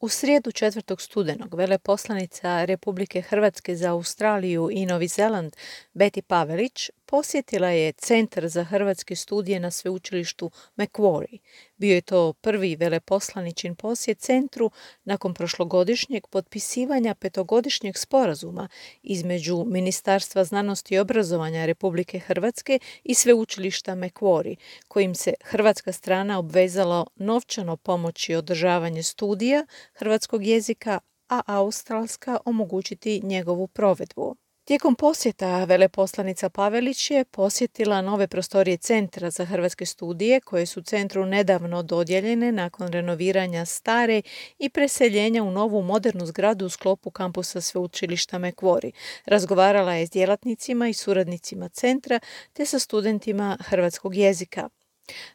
U srijedu 4. studenog veleposlanica Republike Hrvatske za Australiju i Novi Zeland Betty Pavelić posjetila je Centar za hrvatske studije na sveučilištu Macquarie. Bio je to prvi veleposlaničin posjet centru nakon prošlogodišnjeg potpisivanja 5-godišnjeg sporazuma između Ministarstva znanosti i obrazovanja Republike Hrvatske i sveučilišta Macquarie, kojim se hrvatska strana obvezala novčano pomoći održavanje studija hrvatskog jezika, a australska omogućiti njegovu provedbu. Tijekom posjeta veleposlanica Pavelić je posjetila nove prostorije Centra za hrvatske studije koje su centru nedavno dodijeljene nakon renoviranja stare i preseljenja u novu modernu zgradu u sklopu kampusa sveučilišta Macquarie. Razgovarala je s djelatnicima i suradnicima centra te sa studentima hrvatskog jezika.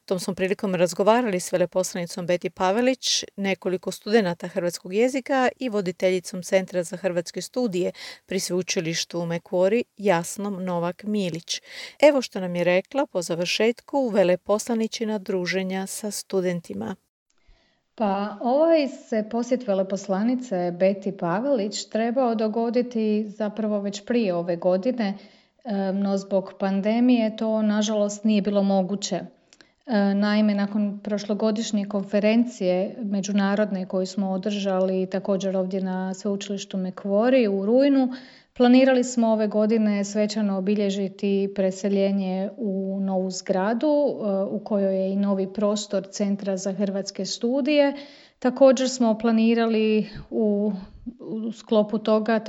Tom smo prilikom razgovarali s veleposlanicom Betty Pavelić, nekoliko studenata hrvatskog jezika i voditeljicom Centra za hrvatske studije pri sveučilištu Macquarie Jasnom Novak-Milić. Evo što nam je rekla po završetku veleposlaničina druženja sa studentima. Pa ovaj se posjet veleposlanice Betty Pavelić trebao dogoditi zapravo već prije ove godine, no zbog pandemije to nažalost nije bilo moguće. Naime, nakon prošlogodišnje konferencije međunarodne koju smo održali također ovdje na sveučilištu Macquarie u rujnu, planirali smo ove godine svečano obilježiti preseljenje u novu zgradu u kojoj je i novi prostor Centra za hrvatske studije. Također smo planirali u sklopu toga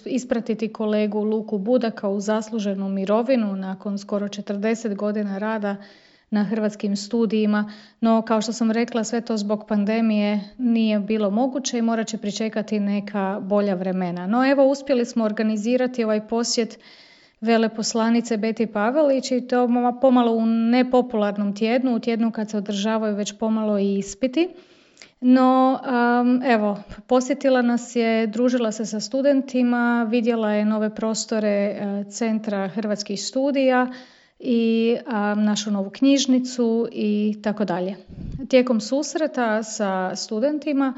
ispratiti kolegu Luku Budaka u zasluženu mirovinu nakon skoro 40 godina rada na hrvatskim studijima, no kao što sam rekla, sve to zbog pandemije nije bilo moguće i morat će pričekati neka bolja vremena. No evo, uspjeli smo organizirati ovaj posjet veleposlanice Betty Pavelić i to pomalo u nepopularnom tjednu, u tjednu kad se održavaju već pomalo i ispiti. No, evo, posjetila nas je, družila se sa studentima, vidjela je nove prostore Centra hrvatskih studija i našu novu knjižnicu i tako dalje. Tijekom susreta sa studentima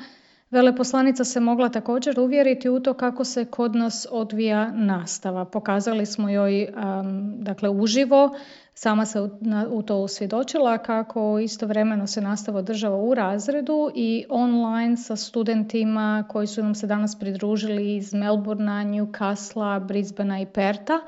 veleposlanica se mogla također uvjeriti u to kako se kod nas odvija nastava. Pokazali smo joj dakle uživo, sama se u to usvjedočila kako istovremeno se nastava održava u razredu i online sa studentima koji su nam se danas pridružili iz Melbournea, Newcastlea, Brisbanea i Pertha.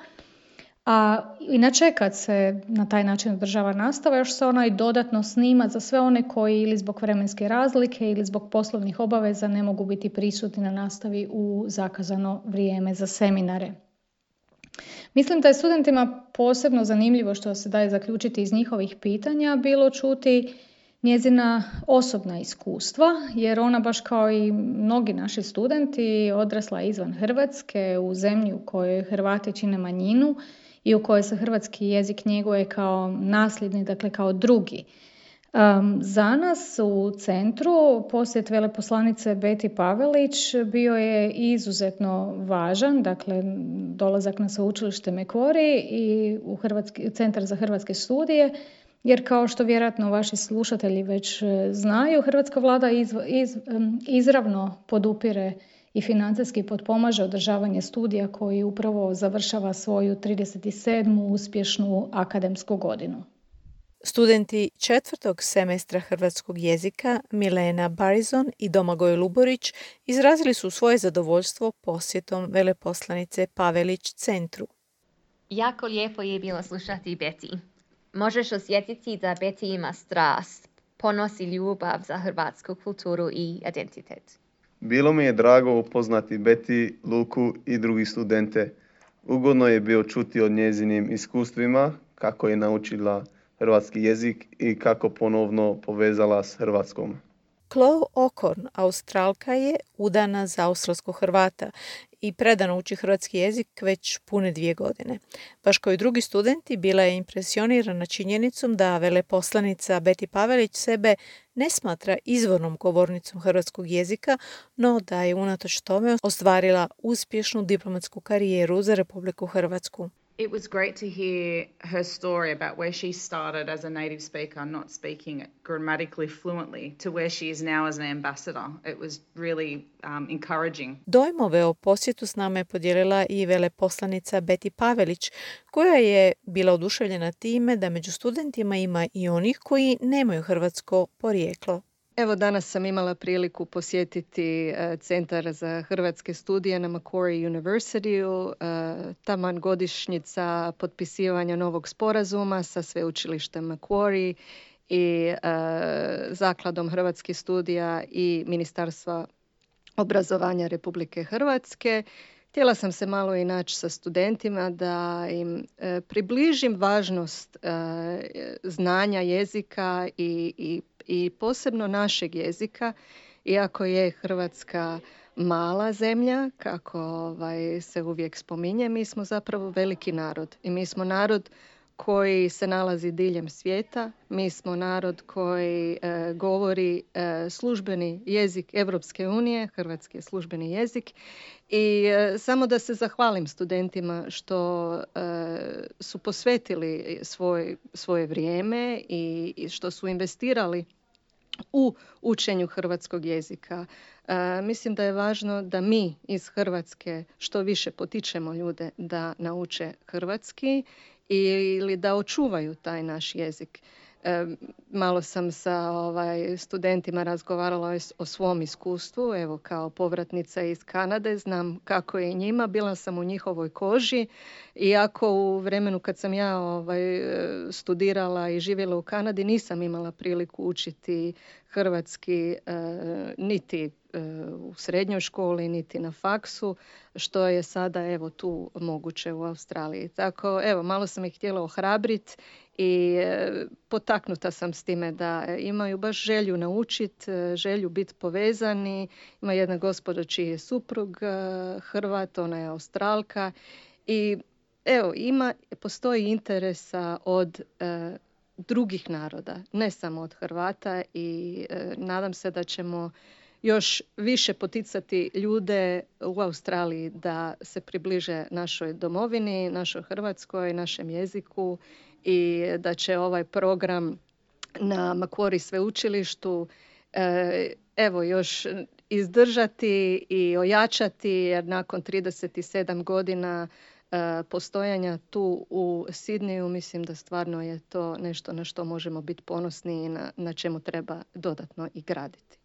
A inače kad se na taj način održava nastava, još se ona i dodatno snima za sve one koji ili zbog vremenske razlike ili zbog poslovnih obaveza ne mogu biti prisutni na nastavi u zakazano vrijeme za seminare. Mislim da je studentima posebno zanimljivo, što se daje zaključiti iz njihovih pitanja, bilo čuti njezina osobna iskustva, jer ona baš kao i mnogi naši studenti odrasla izvan Hrvatske u zemlji u kojoj Hrvati čine manjinu i u kojoj se hrvatski jezik njeguje kao nasljedni, dakle kao drugi. Za nas u centru posjet veleposlanice Betty Pavelić bio je izuzetno važan, dakle dolazak na sveučilište Macquarie i u Centar za hrvatske studije, jer kao što vjerojatno vaši slušatelji već znaju, hrvatska vlada izravno podupire i financijski potpomaže održavanje studija koji upravo završava svoju 37. uspješnu akademsku godinu. Studenti 4. semestra hrvatskog jezika Milena Barizon i Domagoj Luborić izrazili su svoje zadovoljstvo posjetom veleposlanice Pavelić centru. Jako lijepo je bilo slušati Betty. Možeš osjetiti da Betty ima strast, ponos i ljubav za hrvatsku kulturu i identitet. Bilo mi je drago upoznati Betty, Luku i drugi studente. Ugodno je bilo čuti o njezinim iskustvima, kako je naučila hrvatski jezik i kako ponovno povezala s Hrvatskom. Chloe Okorn, Australka je, udana za australskog Hrvata i predano uči hrvatski jezik već pune 2 godine. Baš kao i drugi studenti, bila je impresionirana činjenicom da veleposlanica Betty Pavelić sebe ne smatra izvornom govornicom hrvatskog jezika, no da je unatoč tome ostvarila uspješnu diplomatsku karijeru za Republiku Hrvatsku. It was great to hear her story about where she started as a native speaker, not speaking grammatically fluently, to where she is now as an ambassador. It was really encouraging. Dojmove o posjetu s nama je podijelila i veleposlanica Beti Pavelić, koja je bila oduševljena time da među studentima ima i onih koji nemaju hrvatsko porijeklo. Evo, danas sam imala priliku posjetiti Centar za hrvatske studije na Macquarie Universityu, taman godišnjica potpisivanja novog sporazuma sa sveučilištem Macquarie i Zakladom hrvatskih studija i Ministarstva obrazovanja Republike Hrvatske. Htjela sam se malo i naći sa studentima da im približim važnost znanja jezika i posebno našeg jezika, iako je Hrvatska mala zemlja, kako se uvijek spominje, mi smo zapravo veliki narod i mi smo narod koji se nalazi diljem svijeta. Mi smo narod koji govori službeni jezik Europske unije, hrvatski je službeni jezik. I samo da se zahvalim studentima što su posvetili svoje vrijeme i što su investirali u učenju hrvatskog jezika. Mislim da je važno da mi iz Hrvatske što više potičemo ljude da nauče hrvatski ili da očuvaju taj naš jezik. Malo sam sa studentima razgovarala o svom iskustvu, evo kao povratnica iz Kanade, znam kako je njima, bila sam u njihovoj koži, iako u vremenu kad sam ja studirala i živjela u Kanadi nisam imala priliku učiti hrvatski niti u srednjoj školi, niti na faksu, što je sada evo tu moguće u Australiji. Tako, evo, malo sam ih htjela ohrabriti i potaknuta sam s time da imaju baš želju naučiti, želju biti povezani. Ima jedna gospođa čiji je suprug Hrvat, ona je Australka i evo, postoji interesa od drugih naroda, ne samo od Hrvata i nadam se da ćemo još više poticati ljude u Australiji da se približe našoj domovini, našoj Hrvatskoj, našem jeziku i da će ovaj program na Macquarie sveučilištu evo još izdržati i ojačati, jer nakon 37 godina postojanja tu u Sidneju mislim da stvarno je to nešto na što možemo biti ponosni i na čemu treba dodatno i graditi.